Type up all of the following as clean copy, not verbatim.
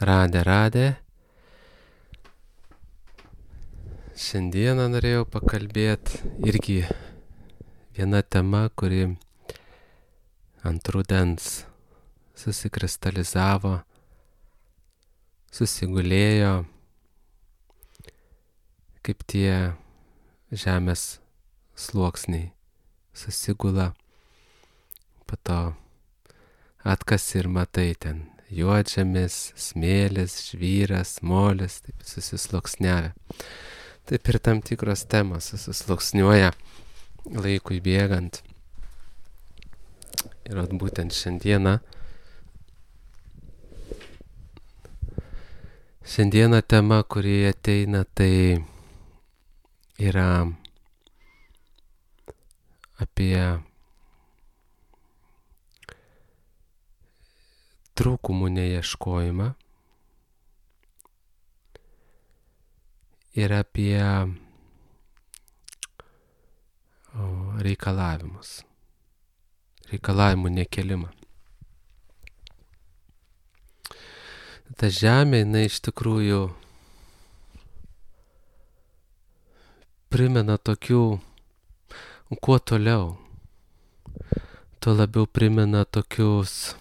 Radė. Šiandieną norėjau pakalbėti irgi viena tema, kuri ant rudens susikristalizavo, susigulėjo, kaip tie žemės sluoksniai susigula, po to atkasi ir matai ten juodžemis, smėlis, žvyras, molis, taip susisluoksniavę. Taip ir tam tikros temos susisluoksniuoja laikui bėgant. Ir būtent šiandieną tema, kuri ateina, tai yra apie trūkumų neieškojimą ir apie reikalavimų nekelimą. Ta žemė, jinai iš tikrųjų primena tokių, kuo toliau, tuo labiau primena tokius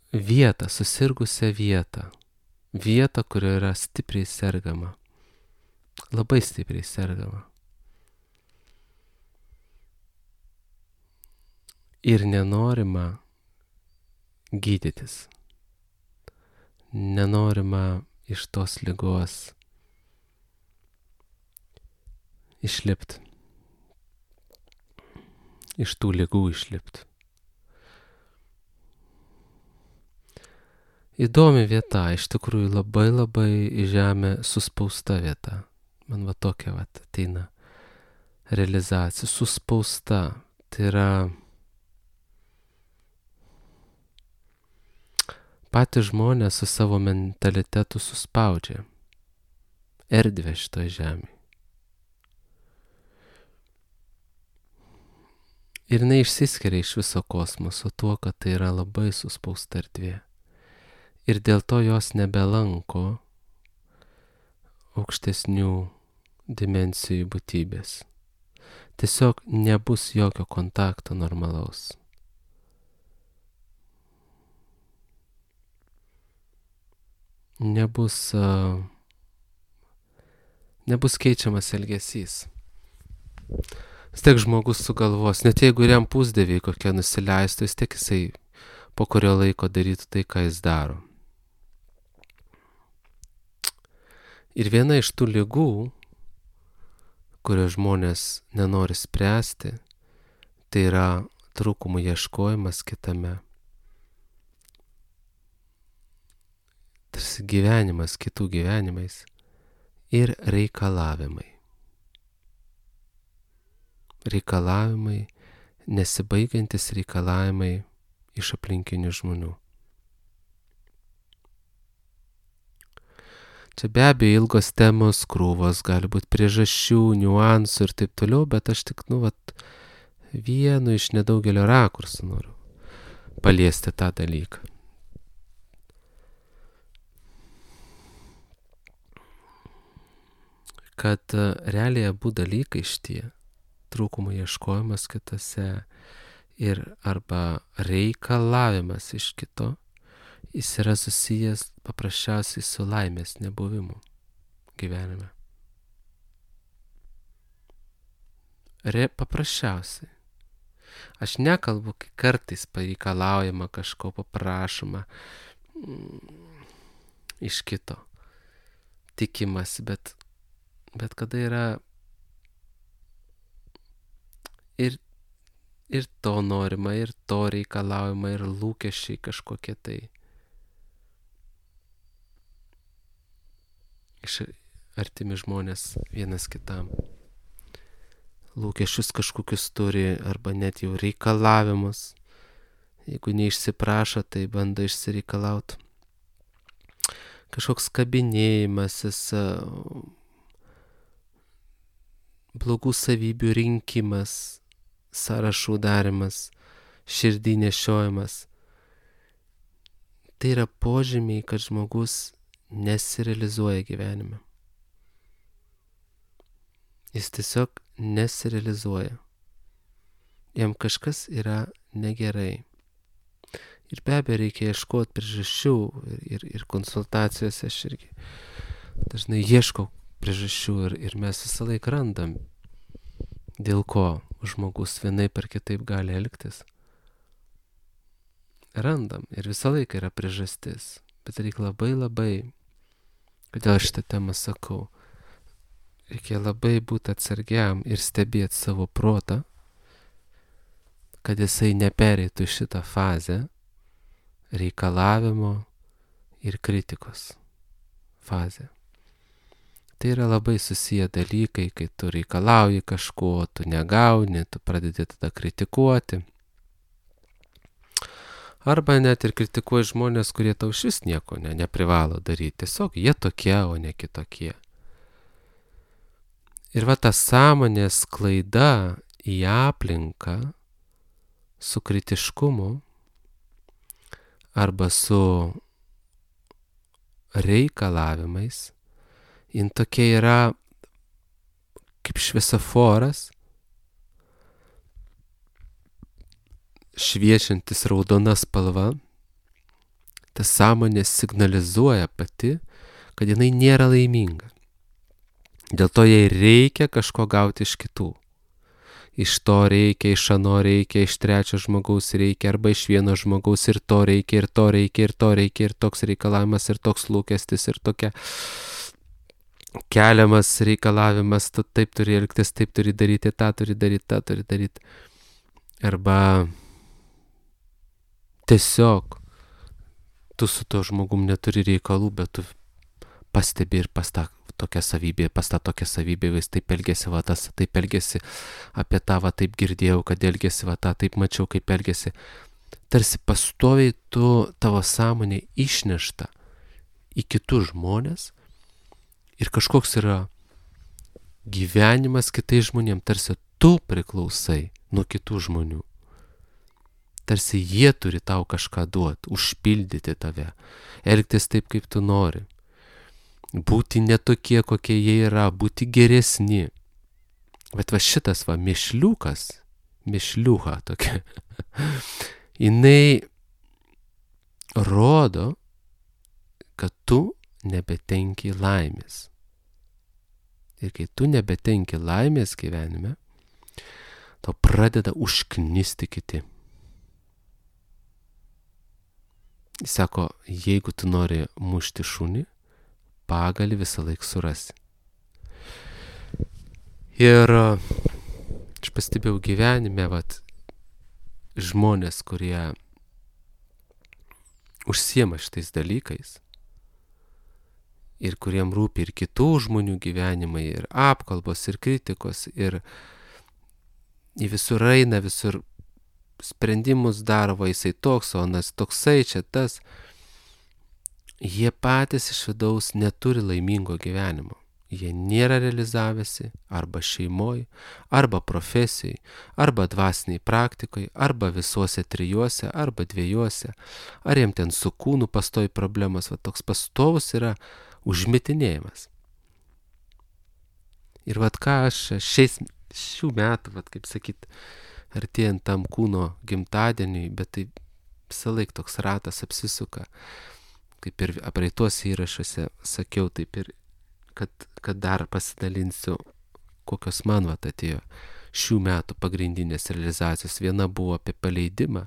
vietą, susirgusią vietą, kurioje yra stipriai sergama, labai stipriai sergama. Ir nenorima gydytis, nenorima iš tos ligos išlipti, iš tų ligų išlipti. Įdomi vieta, iš tikrųjų labai į žemę suspausta vieta. Man va tokia ateina realizacija, suspausta. Tai yra patys žmonės su savo mentalitetu suspaudžia erdvę šitoje žemėje. Ir jinai išsiskiria iš viso kosmoso tuo, kad tai yra labai suspausta erdvė. Ir dėl to jos nebelanko aukštesnių dimensijų būtybės. Tiesiog nebus jokio kontakto normalaus. Nebus keičiamas elgesys. Vis tiek žmogus sugalvos, net jeigu ir jam pusdieviai kokie nusileistų, vis tiek jisai po kurio laiko darytų tai, ką jis daro. Ir viena iš tų ligų, kurios žmonės nenori spręsti, tai yra trūkumų ieškojimas kitame. Tarsi gyvenimas kitų gyvenimais ir reikalavimai. Reikalavimai, nesibaigiantis reikalavimai iš aplinkinių žmonių. Čia be abejo ilgos temos, krūvos, gali būti priežasčių, niuansų ir taip toliau, bet aš tik, vienu iš nedaugelio rakursų noriu paliesti tą dalyką. Kad realiai abu dalykai šitie, trūkumų ieškojimas kitose ir arba reikalavimas iš kito, jis yra susijęs paprasčiausiai su laimės nebuvimu gyvenime. Paprasčiausiai. Aš nekalbu, kai kartais pareikalaujama kažko, paprašoma iš kito, tikimasi, bet kada yra ir to norima, ir to reikalaujama, ir lūkesčiai kažkokie tai. Iš artimi žmonės vienas kitam. Lūkesčius kažkokius turi, arba net jau reikalavimus. Jeigu neišsiprašo, tai bando išsireikalauti. Kažkoks kabinėjimasis, blogų savybių rinkimas, sąrašų darimas. širdį nešiojimas. Tai yra požymiai, kad žmogus nesirealizuoja gyvenime. Jis tiesiog nesirealizuoja. Jam kažkas yra negerai. Ir be abejo reikia ieškoti priežasčių ir konsultacijose aš irgi dažnai ieškau priežasčių ir mes visą laiką randam, dėl ko žmogus vienaip ar kitaip gali elgtis. Randam ir visą laiką yra priežastis, bet reikia labai, kodėl šitą temą sakau, reikia labai būti atsargiam ir stebėti savo protą, kad jisai nepereitų šitą fazę reikalavimo ir kritikos fazę. Tai yra labai susiję dalykai, kai tu reikalauji kažko, tu negauni, tu pradedi tada kritikuoti. Arba net ir kritikuoji žmonės, kurie tau šis nieko neprivalo daryti. Tiesiog jie tokie, o ne kitokie. Ir va ta sąmonės klaida į aplinką su kritiškumu arba su reikalavimais, jin tokia yra kaip šviesoforas, šviečiantis raudona spalva. Ta sąmonė signalizuoja pati, kad jinai nėra laiminga. Dėl to jai reikia kažko gauti iš kitų. Iš to reikia, iš ano reikia, iš trečio žmogaus reikia, arba iš vieno žmogaus ir to reikia, ir to reikia, ir to reikia, ir toks reikalavimas, ir toks lūkestis, ir tokia keliamas reikalavimas, tu taip turi elgtis, taip turi daryti, tą turi daryti, tą turi daryti. Arba tiesiog tu su to žmogum neturi reikalų, bet tu pastebi ir pas tą tokia savybė, jis taip elgėsi, va tas taip elgėsi, apie tą va taip girdėjau, kad elgėsi, va tą taip mačiau, kaip elgėsi. Tarsi pastoviai tavo sąmonė išnešta į kitus žmonės ir kažkoks yra gyvenimas kitais žmonėms, tarsi tu priklausai nuo kitų žmonių. Tarsi jie turi tau kažką duoti, užpildyti tave, elgtis taip, kaip tu nori. Būti netokie, kokie jie yra, būti geresni. Bet va šitas va mišliuha tokia, jinai rodo, kad tu nebetenki laimės. Ir kai tu nebetenki laimės gyvenime, tau pradeda užknisti kiti. Jis sako, jeigu tu nori mušti šunį, pagalį visą laiką surasi. Ir aš pastebėjau gyvenime, žmonės, kurie užsiema šitais dalykais ir kuriem rūpi ir kitų žmonių gyvenimai, ir apkalbos, ir kritikos, ir į visur eina, visur sprendimus daro, jisai toks, o anas toksai, čia tas. Jie patys iš vidaus neturi laimingo gyvenimo. Jie nėra realizavęsi arba šeimoj, arba profesijai, arba dvasiniai praktikai, arba visuose trijuose, arba dviejuose. Ar jiem ten su kūnu pastovi problemas, va toks pastovus yra užmitinėjimas. Ir vat ką aš šių metų, kaip sakyt, artėjant tam kūno gimtadieniui, bet tai visą laiką toks ratas apsisuka. Kaip ir praeituose įrašuose sakiau, taip ir, kad dar pasidalinsiu, kokios man atėjo šių metų pagrindinės realizacijos. Viena buvo apie paleidimą,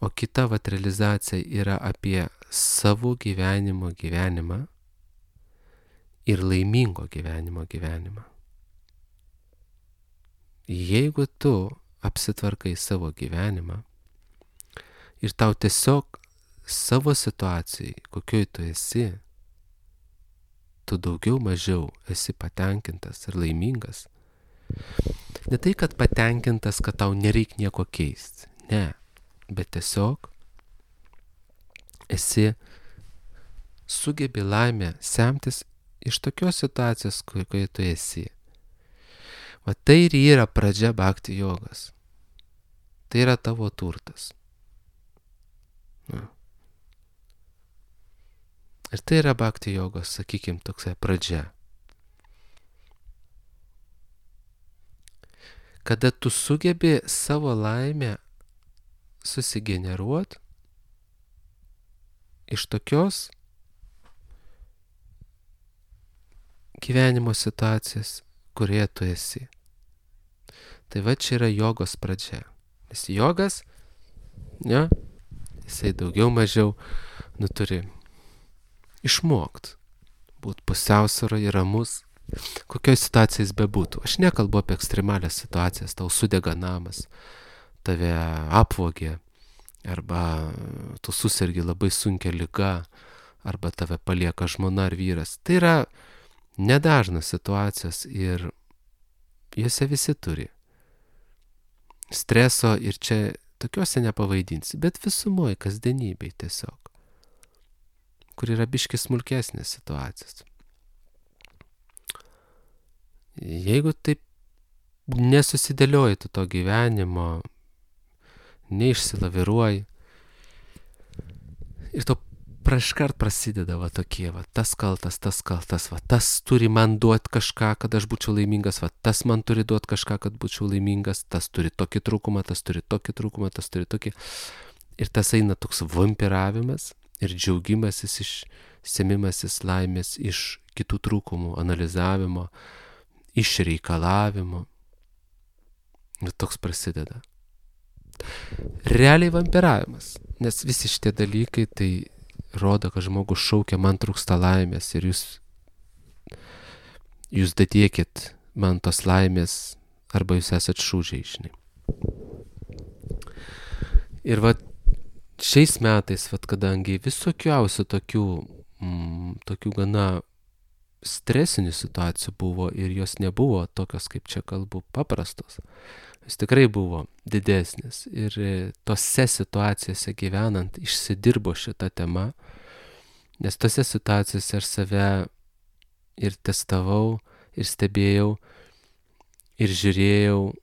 o kita realizacija yra apie savo gyvenimą ir laimingo gyvenimą. Jeigu tu apsitvarkai savo gyvenimą ir tau tiesiog savo situacijai, kokioj tu esi, tu daugiau mažiau esi patenkintas ir laimingas. Ne tai, kad patenkintas, kad tau nereik nieko keisti. Ne, bet tiesiog sugebi laimę semtis iš tokios situacijos, kokioje tu esi. Va tai ir yra pradžia bhakti jogos. Tai yra tavo turtas. Na. Ir tai yra bhakti jogos, sakykime, toksai pradžia. Kada tu sugebi savo laimę susigeneruoti iš tokios gyvenimo situacijos, kurioje tu esi. Tai va čia yra jogos pradžia. Nes jogas, ne, jisai daugiau mažiau, turi išmokti būti pusiausvyroje ir ramus, kokioj situacijai jis bebūtų. Aš nekalbu apie ekstremalias situacijas, tau sudega namas, tave apvogė, arba tu susirgi labai sunkia liga, arba tave palieka žmona ar vyras. Tai yra nedažnas situacijos ir jose visi turi streso ir čia tokiuose nepavaidinsi, bet visumoje kasdienybėj tiesiog, kur yra biški smulkesnės situacijos. Jeigu taip nesusidėlioji tu to gyvenimo, neišsilaviruoji ir to praškart prasideda va tokie, va tas kaltas, va tas turi man duoti kažką, kad aš būčiau laimingas, va tas man turi duoti kažką, kad būčiau laimingas, tas turi tokį trūkumą, tas turi tokį trūkumą, tas turi tokį. Ir tas eina toks vampiravimas ir džiaugimasis semimasis laimės iš kitų trūkumų, analizavimo, iš reikalavimo. Ir toks prasideda. Realiai vampiravimas, nes visi šitie dalykai tai rodo, kad žmogus šaukia, man trūksta laimės ir jūs datiekit man tos laimės arba jūs esat šūdžiai, žinai. Ir va šiais metais, va kadangi visokiausių tokių gana stresinių situacijų buvo ir jos nebuvo tokios, kaip čia kalbu, paprastos. Jis tikrai buvo didesnis ir tose situacijose gyvenant išsidirbo šitą temą, nes tose situacijose aš save ir testavau, ir stebėjau, ir žiūrėjau,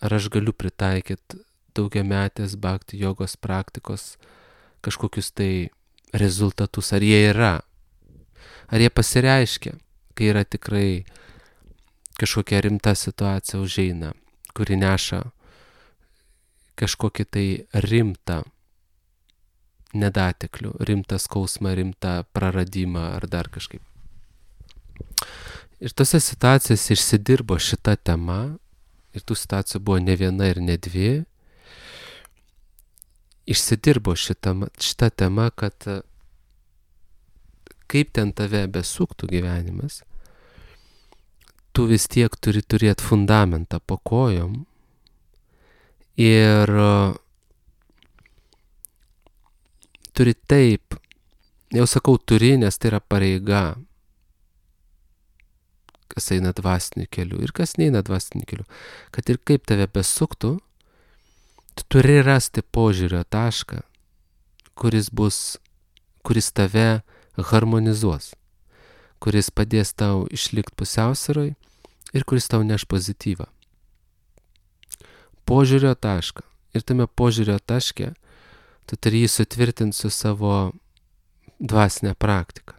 ar aš galiu pritaikyti daugiametės bhakti jogos praktikos kažkokius tai rezultatus, ar jie yra, ar jie pasireiškia, kai yra tikrai kažkokia rimta situacija užeina, kuri neša kažkokį tai rimtą nedateklių, rimtą skausmą, rimtą praradimą ar dar kažkaip. Ir tose situacijose išsidirbo šita tema, ir tų situacijų buvo ne viena ir ne dvi, išsidirbo šita tema, kad kaip ten tave besuktų gyvenimas, tu vis tiek turi turėti fundamentą po kojom ir turi taip, jau sakau turi, nes tai yra pareiga, kas eina dvasiniu keliu ir kas neina dvasiniu keliu, kad ir kaip tave besuktų, tu turi rasti požiūrio tašką, kuris tave harmonizuos, kuris padės tau išlikti pusiausvyroj ir kuris tau neš pozityvą. Požiūrio tašką. Ir tame požiūrio taške tu turi jį sutvirtinti su savo dvasinė praktika.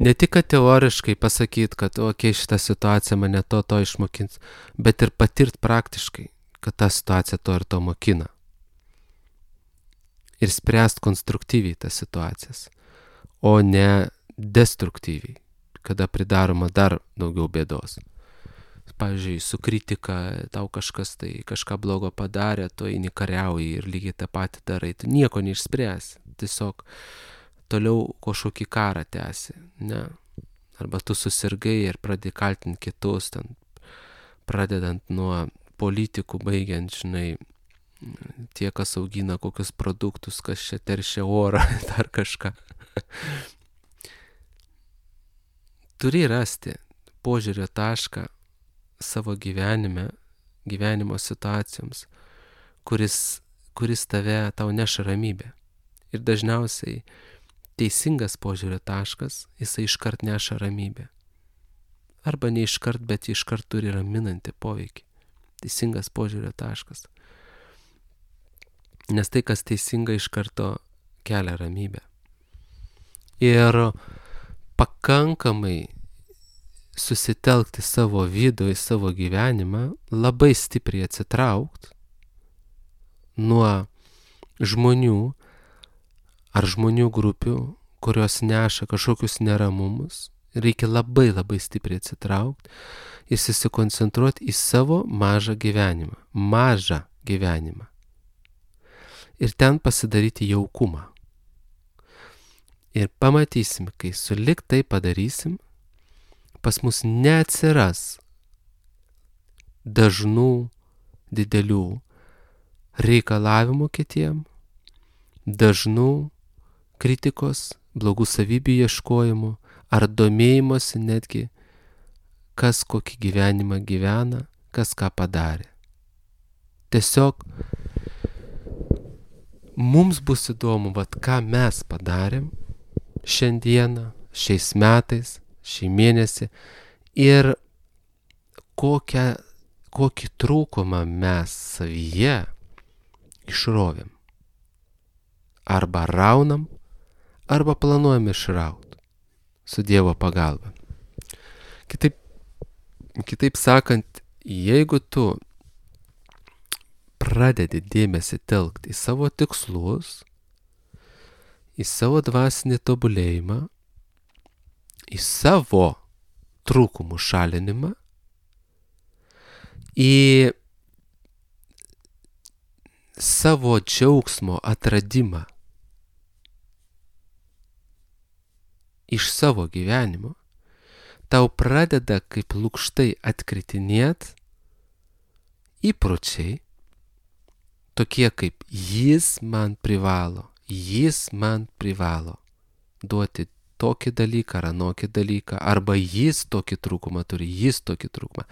Ne tik, kad teoriškai pasakyti, kad šitą situaciją mane to išmokins, bet ir patirt praktiškai, kad ta situacija to ir to mokina. Ir spręst konstruktyviai tas situacijas, o ne destruktyviai, kada pridaroma dar daugiau bėdos. Pavyzdžiui, su kritika tau kažkas tai kažką blogo padarė, tu eini kariauji ir lygiai tą patį darai, tu nieko neišspręsi, tiesiog toliau kažkokį karą tęsi, ne? Arba tu susirgai ir pradedi kaltinti kitus, ten, pradedant nuo politikų, baigiant, žinai, tie, kas augina kokius produktus, kas čia teršia orą, dar kažką. Turi rasti požiūrio tašką savo gyvenimo situacijoms, kuris tau neša ramybę. Ir dažniausiai teisingas požiūrio taškas, jisai iškart neša ramybę. Arba ne iškart, bet iškart turi raminantį poveikį. teisingas požiūrio taškas. Nes tai, kas teisinga, iš karto kelia ramybę. Ir pakankamai susitelkti savo vidų, į savo gyvenimą, labai stipriai atsitraukti nuo žmonių ar žmonių grupių, kurios neša kažkokius neramumus. Reikia labai labai stipriai atsitraukti ir susikoncentruoti į savo mažą gyvenimą. Mažą gyvenimą. Ir ten pasidaryti jaukumą. Ir pamatysim, kai sulig tai padarysim, pas mus neatsiras dažnų, didelių reikalavimų kitiem, dažnų kritikos, blogų savybių ieškojimų, ar domėjimosi netgi, kas kokį gyvenimą gyvena, kas ką padarė. Tiesiog mums bus įdomu, ką mes padarėm šiandieną, šiais metais, šį mėnesį ir kokį trūkumą mes savyje išrovėm. Arba raunam, arba planuojam išrauti su Dievo pagalba. Kitaip sakant, jeigu tu pradedi dėmesį telkti į savo tikslus, į savo dvasinį tobulėjimą, į savo trūkumų šalinimą, į savo džiaugsmo atradimą iš savo gyvenimo, tau pradeda kaip lukštai atkritinėt įpročiai, tokie kaip jis man privalo duoti tokį dalyką ar anokį dalyką, arba jis tokį trūkumą turi, jis tokį trūkumą.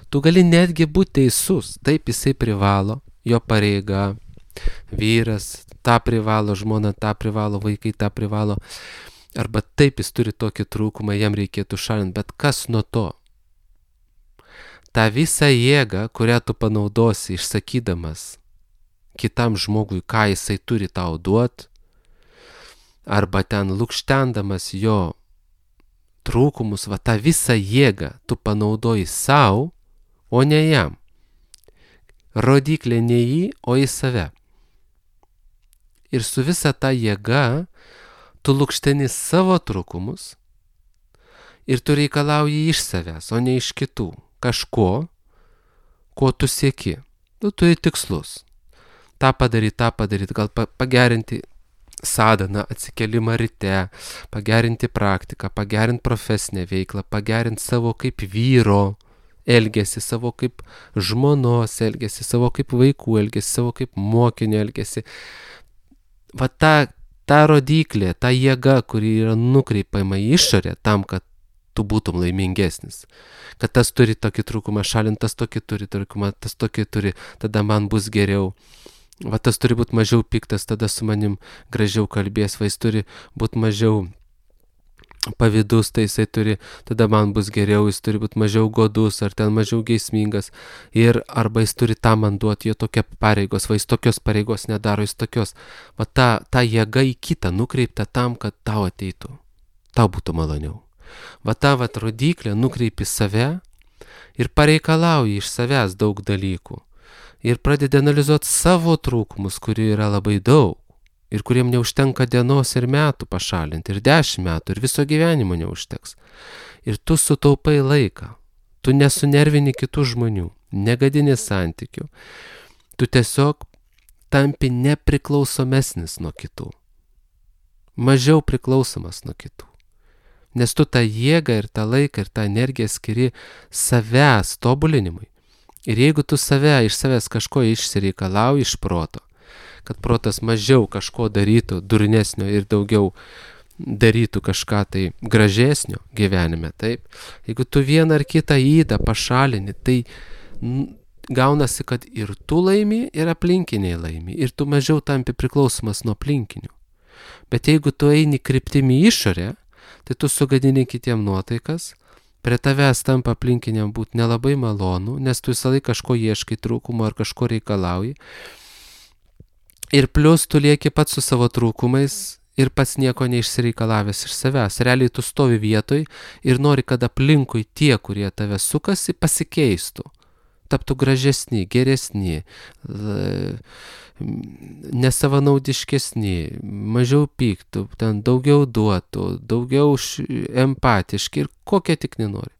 Tu gali netgi būti teisus, taip jisai privalo, jo pareiga, vyras tą privalo, žmona tą privalo, vaikai tą privalo, arba taip jis turi tokį trūkumą, jam reikėtų šalinti, bet kas nuo to? Ta visa jėga, kurią tu panaudosi išsakydamas kitam žmogui, ką jisai turi tau duoti, arba ten lukštendamas jo trūkumus, tą visą jėgą tu panaudoji savo, o ne jam. Rodiklė ne jį, o į save. Ir su visa ta jėga tu lukšteni savo trūkumus ir tu reikalauji iš savęs, o ne iš kitų. Kažko, ko tu sieki. Tu turi tikslus. tą padaryt, gal pagerinti sadaną, atsikelimą ryte, pagerinti praktiką, pagerinti profesinę veiklą, pagerinti savo kaip vyro elgesį, savo kaip žmonos elgesį, savo kaip vaikų elgesį, savo kaip mokinio elgesį. Va ta rodiklė, ta jėga, kuri yra nukreipiama į išorę tam, kad tu būtum laimingesnis. Kad tas turi tokį trūkumą šalint, tas tokį turi trūkumą, tas tokį turi, tada man bus geriau. Va tas turi būti mažiau piktas, tada su manim gražiau kalbės, va jis turi būti mažiau pavydus, tai jisai turi, tada man bus geriau, jis turi būti mažiau godus, ar ten mažiau geismingas, ir arba jis turi tą man duoti, jo tokia pareigos, va jis tokios pareigos nedaro, jis tokios. Va ta jėga į kitą nukreipta tam, kad tau ateitų, tau būtų maloniau. Va ta rodiklė nukreipi save ir pareikalauji iš savęs daug dalykų. Ir pradedi analizuoti savo trūkumus, kurių yra labai daug. Ir kuriem neužtenka dienos ir metų pašalinti, ir 10 metų, ir viso gyvenimo neužteks. Ir tu sutaupai laiką. Tu nesunervini kitų žmonių, negadini santykių. Tu tiesiog tampi nepriklausomesnis nuo kitų. Mažiau priklausomas nuo kitų. Nes tu tą jėgą ir tą laiką ir tą energiją skiri savęs tobulinimui. Ir jeigu tu iš savęs kažko išsireikalauji iš proto, kad protas mažiau kažko darytų durnesnio ir daugiau darytų kažką tai gražesnio gyvenime, taip, jeigu tu vieną ar kitą ydą pašalini, tai gaunasi, kad ir tu laimi, ir aplinkiniai laimi, ir tu mažiau tampi priklausomas nuo aplinkinių. Bet jeigu tu eini kryptimi išorę, tai tu sugadini kitiem nuotaikas, prie tavęs tampa aplinkiniam būti nelabai malonu, nes tu visą laiką kažko ieškai trūkumo ar kažko reikalauji. Ir plius tu lieki pats su savo trūkumais ir pats nieko neišsireikalavęs iš savęs. Realiai tu stovi vietoj ir nori, kad aplinkui tie, kurie tave sukasi, pasikeistų. Taptų gražesni, geresni, nesavanaudiškesni, mažiau pyktų, ten daugiau duotų, daugiau empatiški ir kokie tik nenori.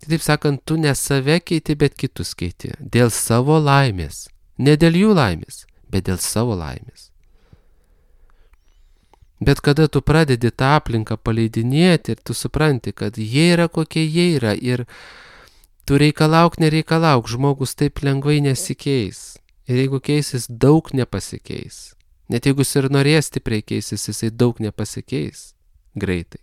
Taip sakant, tu ne save keiti, bet kitus keiti. Dėl savo laimės. Ne dėl jų laimės, bet dėl savo laimės. Bet kada tu pradedi tą aplinką paleidinėti ir tu supranti, kad jie yra kokie jie yra ir tu nereikalauk, žmogus taip lengvai nesikeis. Ir jeigu keisis, daug nepasikeis. Net jeigu jis ir norės stipriai keisis, jisai daug nepasikeis greitai.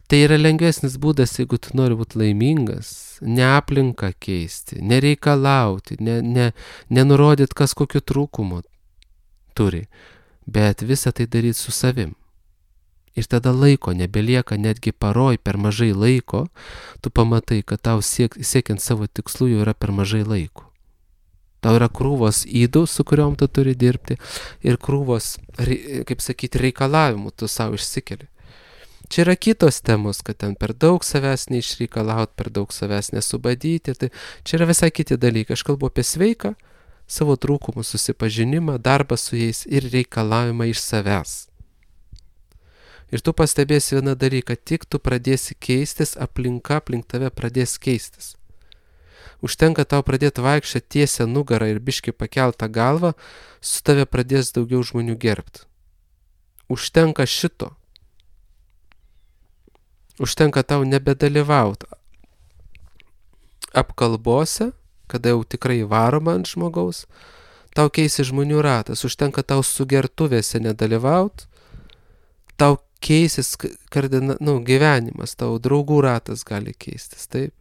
Tai yra lengvesnis būdas, jeigu tu nori būti laimingas, ne aplinką keisti, nereikalauti, nenurodyti, kas kokiu trūkumu turi, bet visą tai daryti su savim. Ir tada laiko nebelieka, netgi paroj per mažai laiko, tu pamatai, kad tau siekiant savo tikslų jau yra per mažai laiko. Tau yra krūvos ydų, su kuriuom tu turi dirbti, ir krūvos, kaip sakyti, reikalavimų tu savo išsikeli. Čia yra kitos temos, kad ten per daug savęs neišreikalaut, per daug savęs nesubadyti. Tai čia yra visai kiti dalykai. Aš kalbu apie sveiką, savo trūkumų susipažinimą, darbą su jais ir reikalavimą iš savęs. Ir tu pastebėsi vieną dalyką, tik tu pradėsi keistis, aplinka aplink tave pradės keistis. Užtenka tau pradėti vaikščioti tiesią nugarą ir biškį pakeltą galvą, su tave pradės daugiau žmonių gerbti. Užtenka šito. Užtenka tau nebedalyvauti apkalbose, kada jau tikrai varoma ant žmogaus, tau keisi žmonių ratas, užtenka tau sugertuvėse nedalyvauti, tau keisis gyvenimas, tau draugų ratas gali keistis, taip.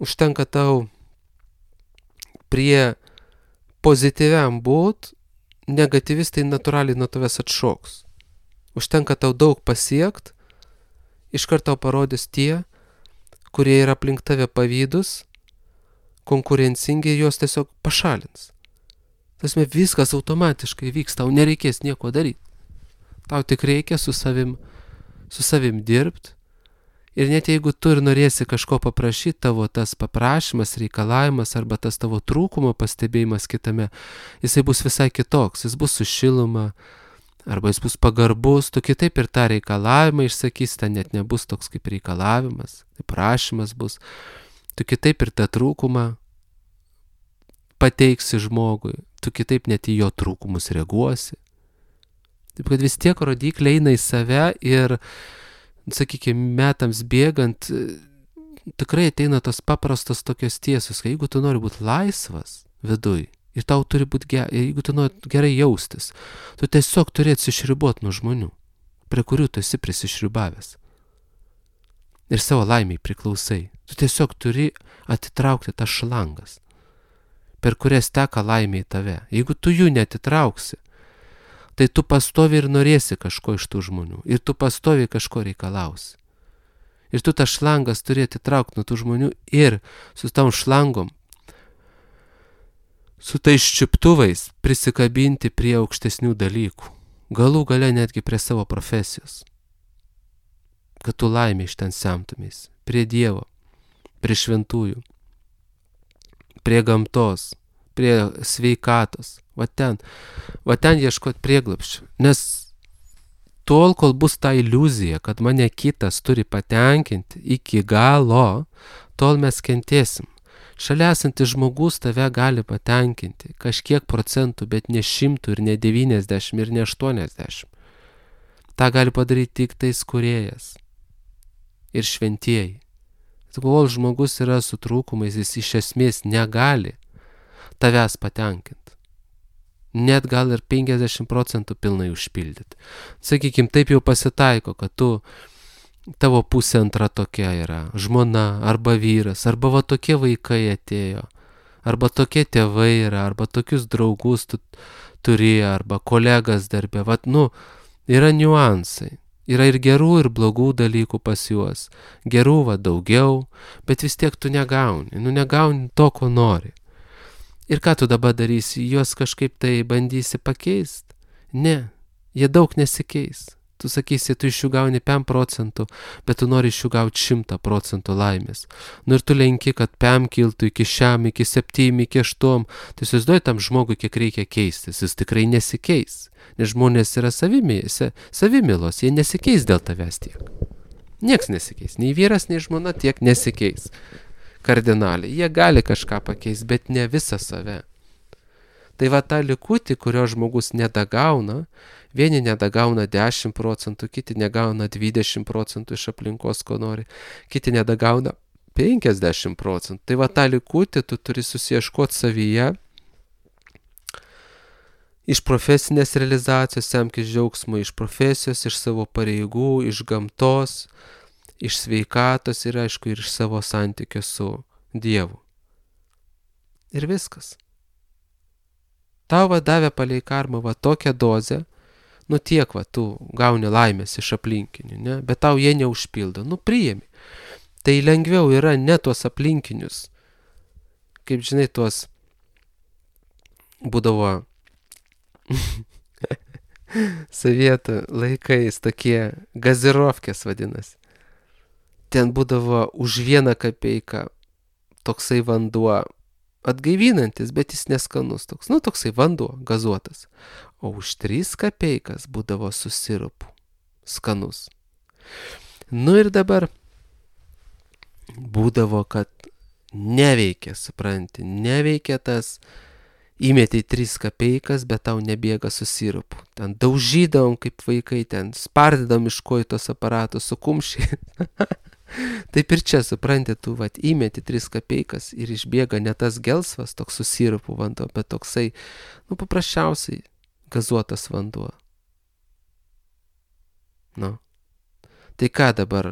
Užtenka tau prie pozityviam būt, negatyvistai natūraliai nuo tavęs atšoks. Užtenka tau daug pasiekt, iškart tau parodys tie, kurie yra aplink tave pavydus, konkurencingi, juos tiesiog pašalins. Tasme, viskas automatiškai vyks, tau nereikės nieko daryti. Tau tik reikia su savim dirbti. Ir net jeigu tu ir norėsi kažko paprašyti, tavo tas paprašymas, reikalavimas arba tas tavo trūkumo pastebėjimas kitame, jisai bus visai kitoks, jis bus su šiluma, arba jis bus pagarbus, tu kitaip ir tą reikalavimą išsakysi, ten net nebus toks kaip reikalavimas, tai prašymas bus, tu kitaip ir tą trūkumą pateiksi žmogui, tu kitaip net į jo trūkumus reaguosi. Taip kad vis tiek rodikliai eina į save ir, sakykime, metams bėgant, tikrai ateina tos paprastos tokios tiesos, kad jeigu tu nori būti laisvas viduj, ir tau turi būti jeigu tu nori gerai jaustis, tu tiesiog turi atsišriboti nuo žmonių, prie kurių tu esi prisišribavęs. Ir savo laimiai priklausai. Tu tiesiog turi atitraukti tas šlangas, per kurias teka laimė į tave. Jeigu tu jų neatitrauksi, tai tu pastovi ir norėsi kažko iš tų žmonių. Ir tu pastovi kažko reikalausi. Ir tu tas šlangas turi atitraukti nuo tų žmonių ir su tom šlangom, su tais čiuptuvais prisikabinti prie aukštesnių dalykų. Galų gale netgi prie savo profesijos. Kad tu laimė iš ten semtumės. Prie Dievo, prie šventųjų, prie gamtos, prie sveikatos. Va ten ieškot prieglapščio. Nes tol, kol bus ta iliuzija, kad mane kitas turi patenkinti iki galo, tol mes kentėsim. Šalia esantis žmogus tave gali patenkinti kažkiek procentų, bet ne 100 ir ne 90 ir ne 80. Ta gali padaryti tik tais kūrėjas ir šventieji. Kol žmogus yra su trūkumais, jis iš esmės negali tavęs patenkinti. Net gal ir 50% pilnai užpildyti. Sakykime, taip jau pasitaiko, kad tavo pusė antra tokia yra, žmona arba vyras, arba va tokie vaikai atėjo, arba tokie tėvai yra, arba tokius draugus tu turi, arba kolegas darbė. Vat, yra niuansai. Yra ir gerų, ir blogų dalykų pas juos. Gerų daugiau, bet vis tiek tu negauni. Negauni to, ko nori. Ir ką tu dabar darysi? Juos kažkaip tai bandysi pakeisti? Ne, jie daug nesikeis. Tu sakysi, tu iš jų gauni 5%, bet tu nori iš jų gauti 100% laimės. Ir tu lenki, kad 5 kiltų iki 6, iki 7, iki 8. Tai įsivaizduoji tam žmogui, kiek reikia keistis. Jis tikrai nesikeis. Nes žmonės yra savimilos, jie nesikeis dėl tavęs tiek. Nieks nesikeis. Nei vyras, nei žmona tiek nesikeis. Kardinaliai. Jie gali kažką pakeisti, bet ne visą save. Tai tą likutį, kurio žmogus nedagauna, vieni nedagauna 10%, kiti negauna 20% iš aplinkos, ko nori, kiti nedagauna 50%. Tai tą likutį tu turi susieškoti savyje, iš profesinės realizacijos, semkis džiaugsmo, iš profesijos, iš savo pareigų, iš gamtos, iš sveikatos ir aišku, ir iš savo santykio su Dievu. Ir viskas. Tau davė palei karmą tokią dozę, tiek tu gauni laimės iš aplinkinių, ne? Bet tau jie neužpildo, priimi. Tai lengviau yra ne tuos aplinkinius, kaip žinai, tuos būdavo sovietų laikais tokie gazirovkės vadinasi. Ten būdavo už 1 kapeiką toksai vanduo atgaivinantis, bet jis neskanus toks. Toksai vanduo gazuotas. O už 3 kapeikas būdavo su sirupu. Skanus. Ir dabar būdavo, kad neveikia, supranti, neveikia tas, įmeti 3 kapeikas, bet tau nebėga su sirupu. Ten daužydavom kaip vaikai, ten spardydom iš kojų tos aparatus su kumščiai. Taip ir čia, supranti, tu įmeti 3 kapeikas ir išbėga ne tas gelsvas, toks su sirupu vanduo, bet toksai, paprasčiausiai gazuotas vanduo. Tai ką dabar,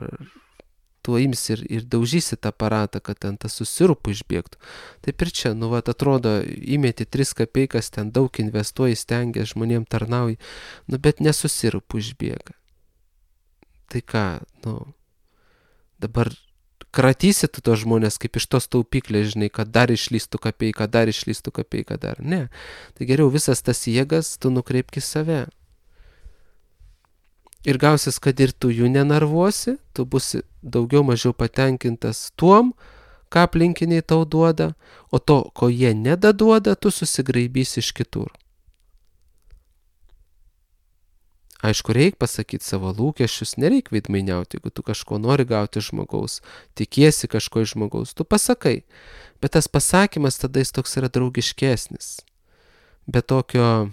tu imsi ir daužysi tą aparatą, kad ten tas su sirupu išbėgtų. Taip ir čia, atrodo, įmeti 3 kapeikas, ten daug investuoji, stengiasi, žmonėm tarnauji, bet ne su sirupu išbėga. Tai ką, dabar kratysi tu tos žmonės kaip iš tos taupyklės, žinai, kad dar išlystų kapeiką, dar. Ne. Tai geriau visas tas jėgas tu nukreipk į save. Ir gausis, kad ir tu jų nenarvuosi, tu busi daugiau mažiau patenkintas tuom, ką aplinkiniai tau duoda, o to, ko jie nedaduoda, tu susigraibysi iš kitur. Aišku, reikia pasakyti savo lūkesčius, nereikia veidmainiauti, jeigu tu kažko nori gauti žmogaus, tikiesi kažko iš žmogaus, tu pasakai. Bet tas pasakymas tada jis toks yra draugiškesnis. Be tokio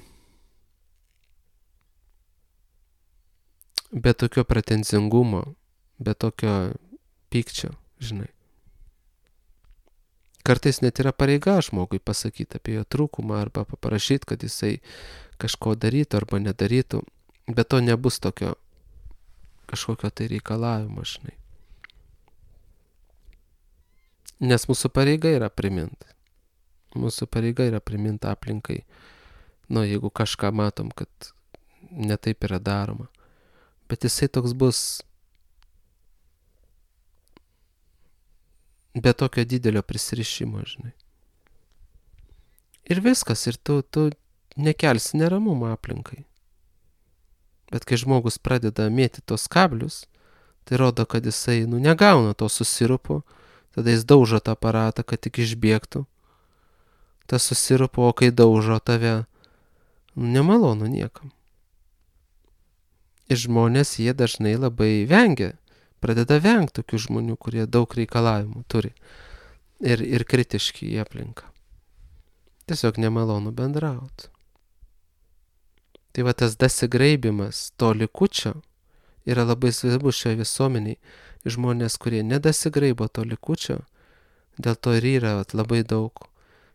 pretenzingumo, be tokio pykčio, žinai. Kartais net yra pareiga žmogui pasakyti apie jo trūkumą arba paprašyti, kad jisai kažko darytų arba nedarytų. Bet to nebus tokio kažkokio tai reikalavimo, žinai. Nes mūsų pareiga yra priminti. Mūsų pareiga yra priminti aplinkai. Jeigu kažką matom, kad netaip yra daroma. Bet jisai toks bus be tokio didelio prisirišimo, žinai. Ir viskas, ir tu nekelsi neramumo aplinkai. Bet kai žmogus pradeda mėti tos kablius, tai rodo, kad jisai negauna to su sirupu, tada jis daužo tą aparatą, kad tik išbėgtų. Tas su sirupu, o kai daužo tave, nemalonu niekam. Ir žmonės, jie dažnai labai vengia, pradeda vengti tokių žmonių, kurie daug reikalavimų turi ir kritiški į aplinką. Tiesiog nemalonu bendrauti. Tai tas dasigraibimas to likučio yra labai svarbus šioje visuomeniai. Žmonės, kurie nedasigraibo to likučio, dėl to ir yra labai daug.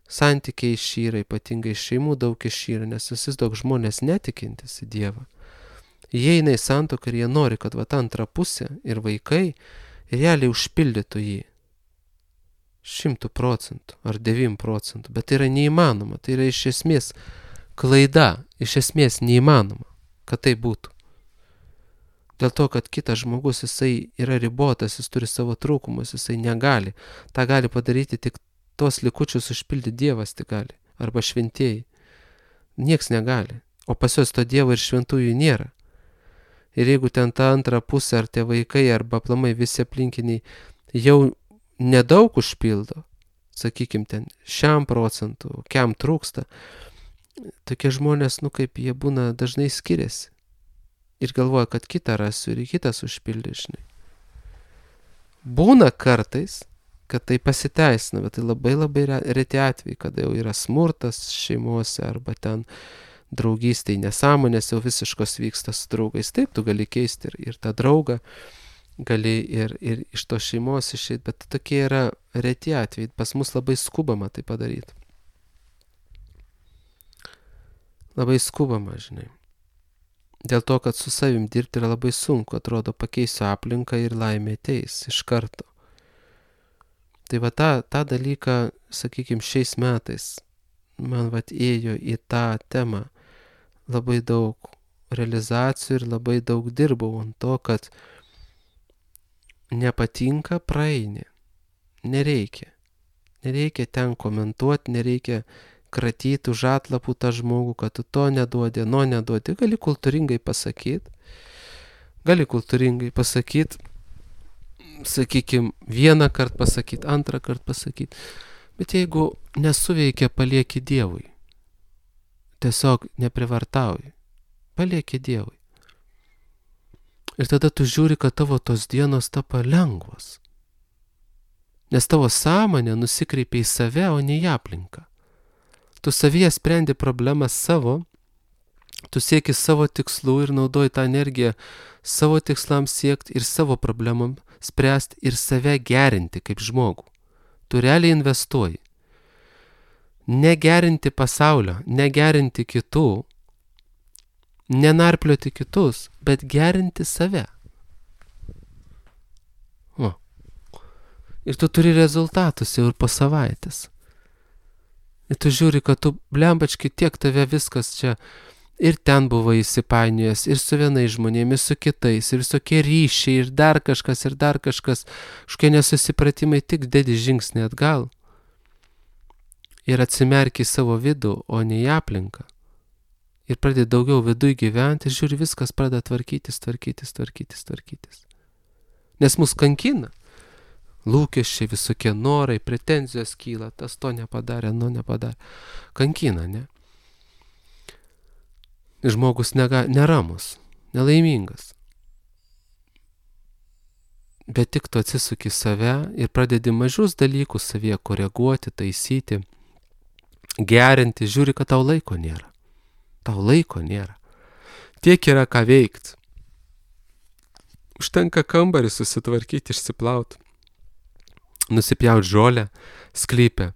Santykiai išyra, ypatingai šeimų daug išyra, nes visi daug žmonės netikintis į Dievą. Jie eina į santuoką ir jie nori, kad antra pusė ir vaikai realiai užpildytų jį 100% ar 9%, bet tai yra neįmanoma, tai yra iš esmės klaida, iš esmės neįmanoma, kad tai būtų. Dėl to, kad kitas žmogus, jisai yra ribotas, jis turi savo trūkumus, jisai negali. Ta gali padaryti tik tos likučius užpildyti Dievas tik gali. Arba šventieji. Nieks negali. O pas juos to Dievo ir šventųjų nėra. Ir jeigu ten ta antra pusė, ar tie vaikai, arba aplamai visi aplinkiniai jau nedaug užpildo, sakykim, ten 1%, kiam trūksta, tokie žmonės, kaip jie būna, dažnai skiriasi. Ir galvoja, kad kitą rasiu ir kitas užpildys, žinai. Būna kartais, kad tai pasiteisina, bet tai labai labai reti atvejai, kada jau yra smurtas šeimose arba ten draugystėj nesąmonės jau visiškos vyksta su draugais. Taip, tu gali keisti ir tą draugą, gali ir iš to šeimos išeiti, bet tokie yra reti atvejai. Pas mus labai skubama tai padaryti. Labai skubama, žinai. Dėl to, kad su savim dirbti yra labai sunku, atrodo, pakeisiu aplinką ir laimė ateis iš karto. Tai va tą dalyką, sakykim, šiais metais man ėjo į tą temą labai daug realizacijų ir labai daug dirbau ant to, kad nepatinka, praeini. Nereikia. Nereikia ten komentuoti, nereikia kratyti už atlapų tą žmogų, kad tu to neduodi, neduodi. Gali kultūringai pasakyti, sakykim, vieną kartą pasakyti, antrą kartą pasakyti. Bet jeigu nesuveikia, palieki Dievui. Tiesiog neprivartauji. Palieki Dievui. Ir tada tu žiūri, kad tavo tos dienos tapa lengvos. Nes tavo sąmonė nusikreipia į save, o ne į aplinką. Tu savyje sprendi problemas savo, tu sieki savo tikslų ir naudoji tą energiją savo tikslams siekti ir savo problemam spręsti ir save gerinti kaip žmogų. Tu realiai investuoji. Negerinti pasaulio, negerinti kitų, nenarplioti kitus, bet gerinti save. Ir tu turi rezultatus jau ir po savaitės. Ir tu žiūri, kad tu blembački tiek tave viskas čia ir ten buvo įsipainiojęs, ir su vienais žmonėmis, su kitais, ir visokie ryšiai, ir dar kažkas, kažkokie nesusipratimai, tik dedi žingsnį atgal. Ir atsimerki į savo vidų, o ne į aplinką. Ir pradedi daugiau viduj gyventi ir žiūri, viskas pradeda tvarkytis. Nes mus kankina. Lūkesčiai, visokie norai, pretenzijos kyla, tas to nepadarė, nepadarė. Kankina, ne? Ir žmogus neramus, nelaimingas. Bet tik tu atsisuki save ir pradedi mažus dalykus savyje koreguoti, taisyti, gerinti, žiūri, kad tau laiko nėra. Tiek yra ką veikti. Užtenka kambarį susitvarkyti, išsiplauti. Nusipjauti žolę, sklype.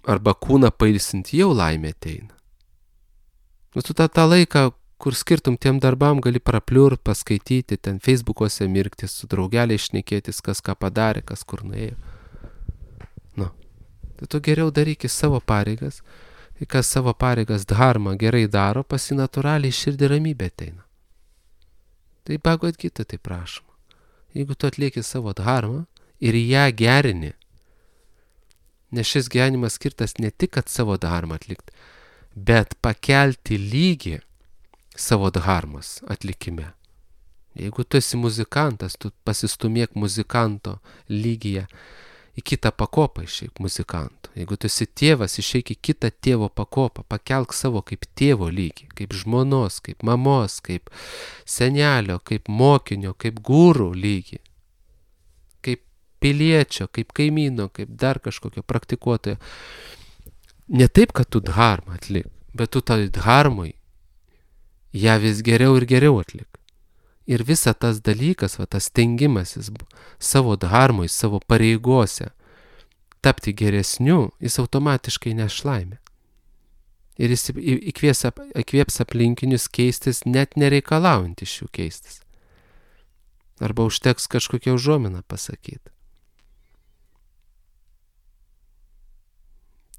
Arba kūną pailsinti, jau laimė ateina. Tu tą laiką, kur skirtum tiem darbam, gali prapliurt, paskaityti, ten Facebook'ose mirktis, su draugeliais šnekėtis, kas ką padarė, kas kur nuėjo. Tai tu geriau daryk savo pareigas, ir kas savo pareigas dharma gerai daro, pasi natūraliai širdį ramybė ateina. Tai Bhagavad Gita tai prašoma. Jeigu tu atlieki savo dharmą ir ją gerini, nes šis gyvenimas skirtas ne tik, kad savo dharmą atlikti, bet pakelti lygį savo dharmos atlikime. Jeigu tu esi muzikantas, tu pasistumėk muzikanto lygyje į kitą pakopą išeik muzikanto. Jeigu tu esi tėvas, išeik į kitą tėvo pakopą, pakelk savo kaip tėvo lygį, kaip žmonos, kaip mamos, kaip senelio, kaip mokinio, kaip gūrų lygį, kaip piliečio, kaip kaimyno, kaip dar kažkokio praktikuotojo. Ne taip, kad tu dharmą atlik, bet tu tai dharmui ją vis geriau ir geriau atlik. Ir visa tas dalykas, tas stengimasis savo dharmui, savo pareigose tapti geresniu, jis automatiškai neš laimę. Ir jis įkvėps aplinkinius keistis, net nereikalaujant iš jų keistis. Arba užteks kažkokią užuominą pasakyti.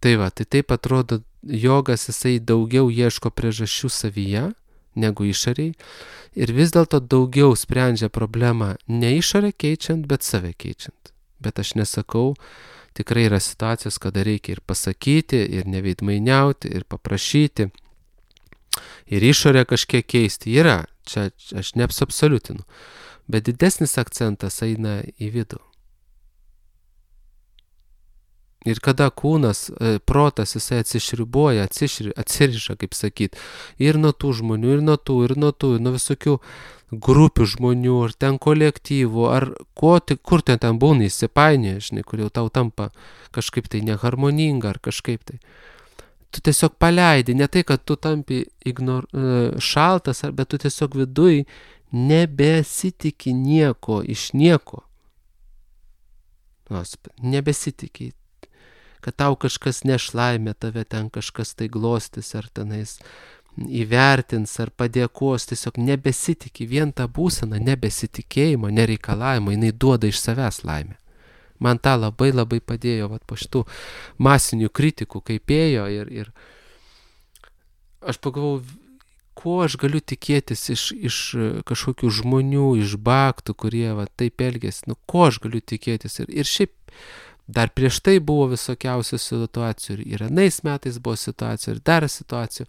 Tai taip atrodo, jogas jisai daugiau ieško priežasčių savyje, negu išoriai. Ir vis dėlto daugiau sprendžia problemą ne išorę keičiant, bet save keičiant. Bet aš nesakau, tikrai yra situacijos, kada reikia ir pasakyti, ir neveidmainiauti, ir paprašyti, ir išorę kažkiek keisti. Yra, čia aš neabsoliutinu. Bet didesnis akcentas eina į vidų. Ir kada kūnas, protas, jisai atsišribuoja, atsiriša, kaip sakyt, ir nuo tų žmonių, ir nuo visokių grupių žmonių, ar ten kolektyvų, ar kur ten būna įsipainioja, žinai, kur jau tau tampa kažkaip tai neharmoninga, ar kažkaip tai. Tu tiesiog paleidi, ne tai, kad tu tampi šaltas, bet tu tiesiog viduj nebesitiki nieko iš nieko. Nebesitiki, kad tau kažkas neš laimę, tave ten kažkas tai glostys, ar tenais įvertins, ar padėkos, tiesiog nebesitiki, vien ta būsena nebesitikėjimo, nereikalavimo, jinai duoda iš savęs laimę. Man tą labai labai padėjo po šitų masinių kritikų, kaip ėjo ir aš pagalvojau, ko aš galiu tikėtis iš kažkokių žmonių, iš baktų, kurie taip elgėsi, ko aš galiu tikėtis ir šiaip dar prieš tai buvo visokiausių situacijų ir anais metais buvo situacijų ir dar situacijų.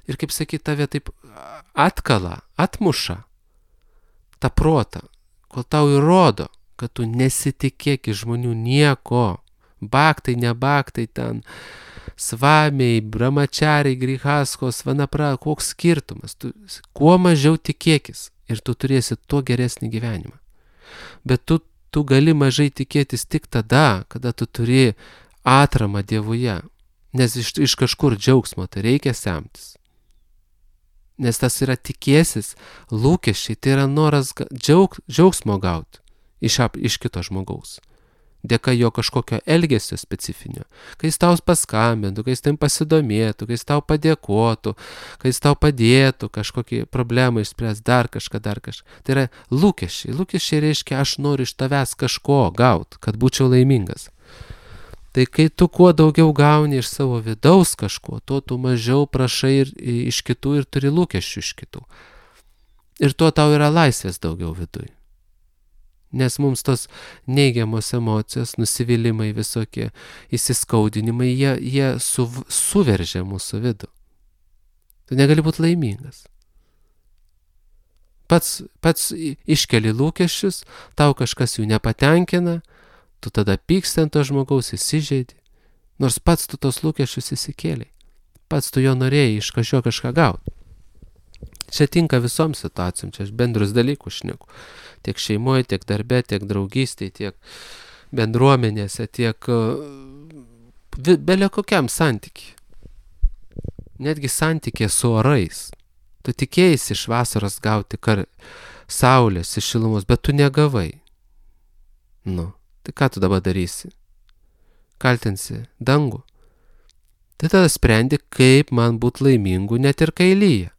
Ir kaip sakyt, tave taip atmuša tą protą, kol tau įrodo, kad tu nesitikėk iš žmonių nieko. Baktai, nebaktai ten, svamiai, brahmachariai, grihaskos, vanapra, koks skirtumas. Tu kuo mažiau tikėkis ir tu turėsi tuo geresnį gyvenimą. Bet tu gali mažai tikėtis tik tada, kada tu turi atramą Dievuje. Nes iš kažkur džiaugsmo tai reikia semtis. Nes tas yra tikėsis, lūkesčiai, tai yra noras džiaugsmo gauti iš kito žmogaus. Dėka jo kažkokio elgesio specifinio. Kai jis tau paskambintų, kai jis tam pasidomėtų, kai jis tau padėkotų, kai jis tau padėtų kažkokį problemą išspręs, dar kažką. Tai yra lūkesčiai. Lūkesčiai reiškia, aš noriu iš tavęs kažko gauti, kad būčiau laimingas. Tai kai tu kuo daugiau gauni iš savo vidaus kažko, tuo tu mažiau prašai iš kitų ir turi lūkesčių iš kitų. Ir tuo tau yra laisvės daugiau viduj. Nes mums tos neigiamos emocijos, nusivylimai visokie, įsiskaudinimai, jie suveržia mūsų vidų. Tu negali būti laimingas. Pats iškeli lūkesčius, tau kažkas jų nepatenkina, tu tada pyksti ant to žmogaus, įsižeidi, nors pats tu tos lūkesčius įsikėlei. Pats tu jo norėjai iš kažką gauti. Čia tinka visom situacijom, čia aš bendrus dalykus šneku. Tiek šeimoje, tiek darbe, tiek draugystėje, tiek bendruomenėse, tiek belė kokiam santykiui. Netgi santykė su orais. Tu tikėjai iš vasaros gauti saulės, iš šilumos, bet tu negavai. Tai ką tu dabar darysi? Kaltinsi dangų? Tai tada sprendi, kaip man būti laimingu net ir kai lyja.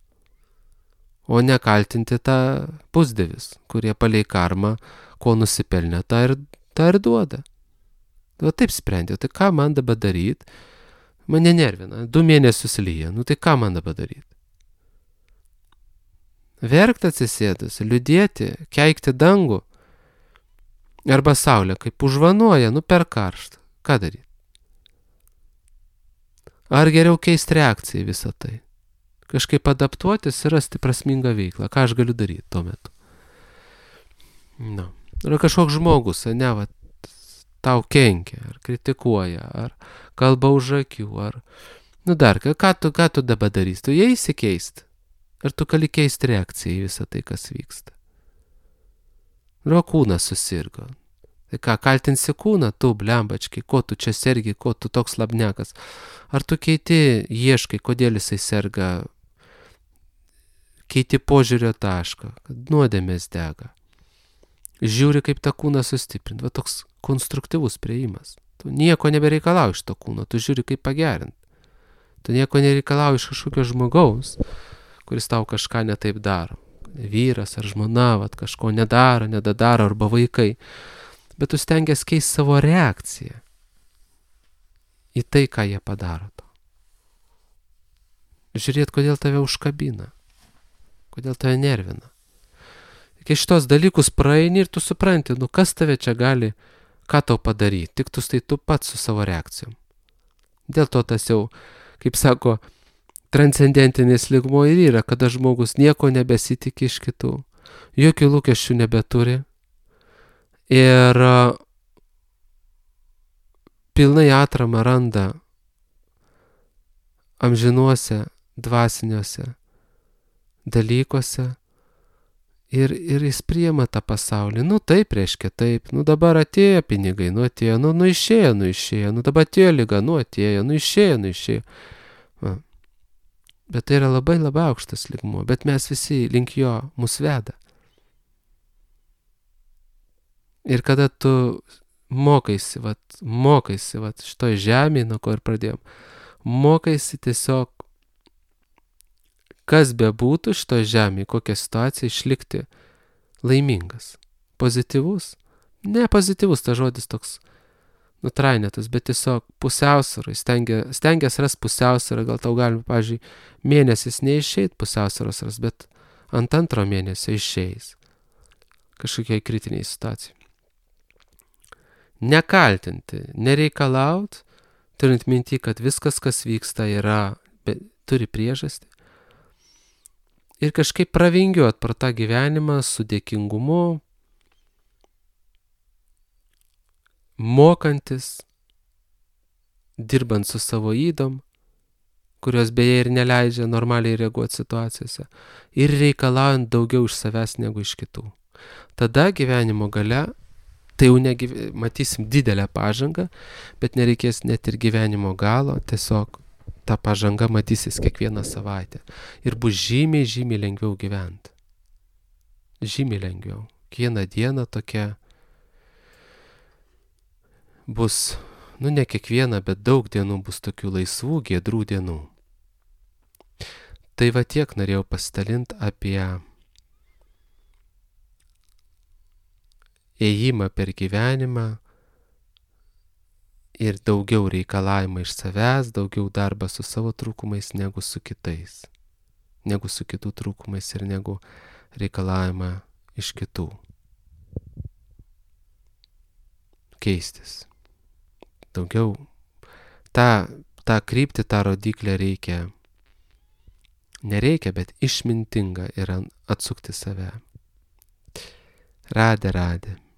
O ne kaltinti tą pusdievius, kurie palei karmą, ko nusipelnė, tą ir duoda. Taip sprendė, tai ką man dabar daryti? Mane nervina, 2 mėnesius lyja, tai ką man dabar daryti? Verkti atsisėdus, liūdėti, keikti dangų, arba saulė, kaip užvanuoja, per karštą. Ką daryti? Ar geriau keisti reakciją į visą tai? Kažkaip adaptuotis ir rasti prasmingą veiklą. Ką aš galiu daryti tuo metu? Yra kažkoks žmogus, tau kenkia, ar kritikuoja, ar kalba už akių, ar... ką tu dabar darysi? Tu jie įsikeisti? Ar tu gali keisti reakciją į visą tai, kas vyksta? Kūnas susirgo. Tai ką, kaltinsi kūną? Tu, blembački, ko tu čia sergi, ko tu toks labnekas? Ar tu ieškai, kodėl jisai serga? Keiti požiūrio tašką, kad nuodėmės dega. Žiūri, kaip tą kūną sustiprinti. Toks konstruktyvus priėjimas. Tu nieko nebereikalauji iš to kūno, tu žiūri, kaip pagerinti. Tu nieko nereikalauji iš kažkokio žmogaus, kuris tau kažką netaip daro. Vyras ar žmona, kažko nedadaro, arba vaikai. Bet tu stengiasi keisti savo reakciją į tai, ką jie padaro. Žiūrėt, kodėl tave užkabina. kodėl tave nervina. Kai šitos dalykus praeini ir tu supranti, kas tave čia gali, ką tau padaryti, tik tu pats su savo reakcijom. Dėl to tas jau, kaip sako, transcendentinis lygmuo ir yra, kada žmogus nieko nebesitikė iš kitų, jokių lūkesčių nebeturi ir pilnai atramą randa amžinuose, dvasiniuose dalykuose ir jis priima tą pasaulį. Taip reiškia taip, dabar atėjo pinigai, atėjo, išėjo, dabar atėjo lyga, atėjo, išėjo. Va. Bet tai yra labai labai aukštas lygmuo, bet mes visi link jo mus veda. Ir kada tu mokaisi šitoj žemėje, nuo ko ir pradėjom, mokaisi tiesiog, kas bebūtų šitoj žemėje, kokia situacija, išlikti laimingas, pozityvus. Ne pozityvus, ta žodis toks nutrainėtas, bet tiesiog pusiausvyrai, stengias ras pusiausvyrą, gal tau galima, pavyzdžiui, mėnesis neišeit pusiausvyros ras, bet ant antro mėnesio išeis kažkokiai kritiniai situacijai. Nekaltinti, nereikalaut, turint minti, kad viskas, kas vyksta, turi priežastį. Ir kažkaip pravingiuot pro tą gyvenimą su dėkingumu, mokantis, dirbant su savo ydom, kurios beje ir neleidžia normaliai reaguoti situacijose, ir reikalaujant daugiau iš savęs negu iš kitų. Tada gyvenimo gale, tai jau matysim didelę pažangą, bet nereikės net ir gyvenimo galo, tiesiog ta pažanga matysis kiekvieną savaitę. Ir bus žymiai, žymiai lengviau gyventi. Žymiai lengviau. Kiekvieną dieną tokia bus, ne kiekviena, bet daug dienų bus tokių laisvų, giedrų dienų. Tai va tiek norėjau pasidalinti apie ėjimą per gyvenimą ir daugiau reikalavimą iš savęs, daugiau darbą su savo trūkumais negu su kitais, negu su kitų trūkumais ir negu reikalavimą iš kitų. Keistis. Daugiau tą kryptį, tą rodiklę nereikia, bet išmintinga yra atsukti save. Radė.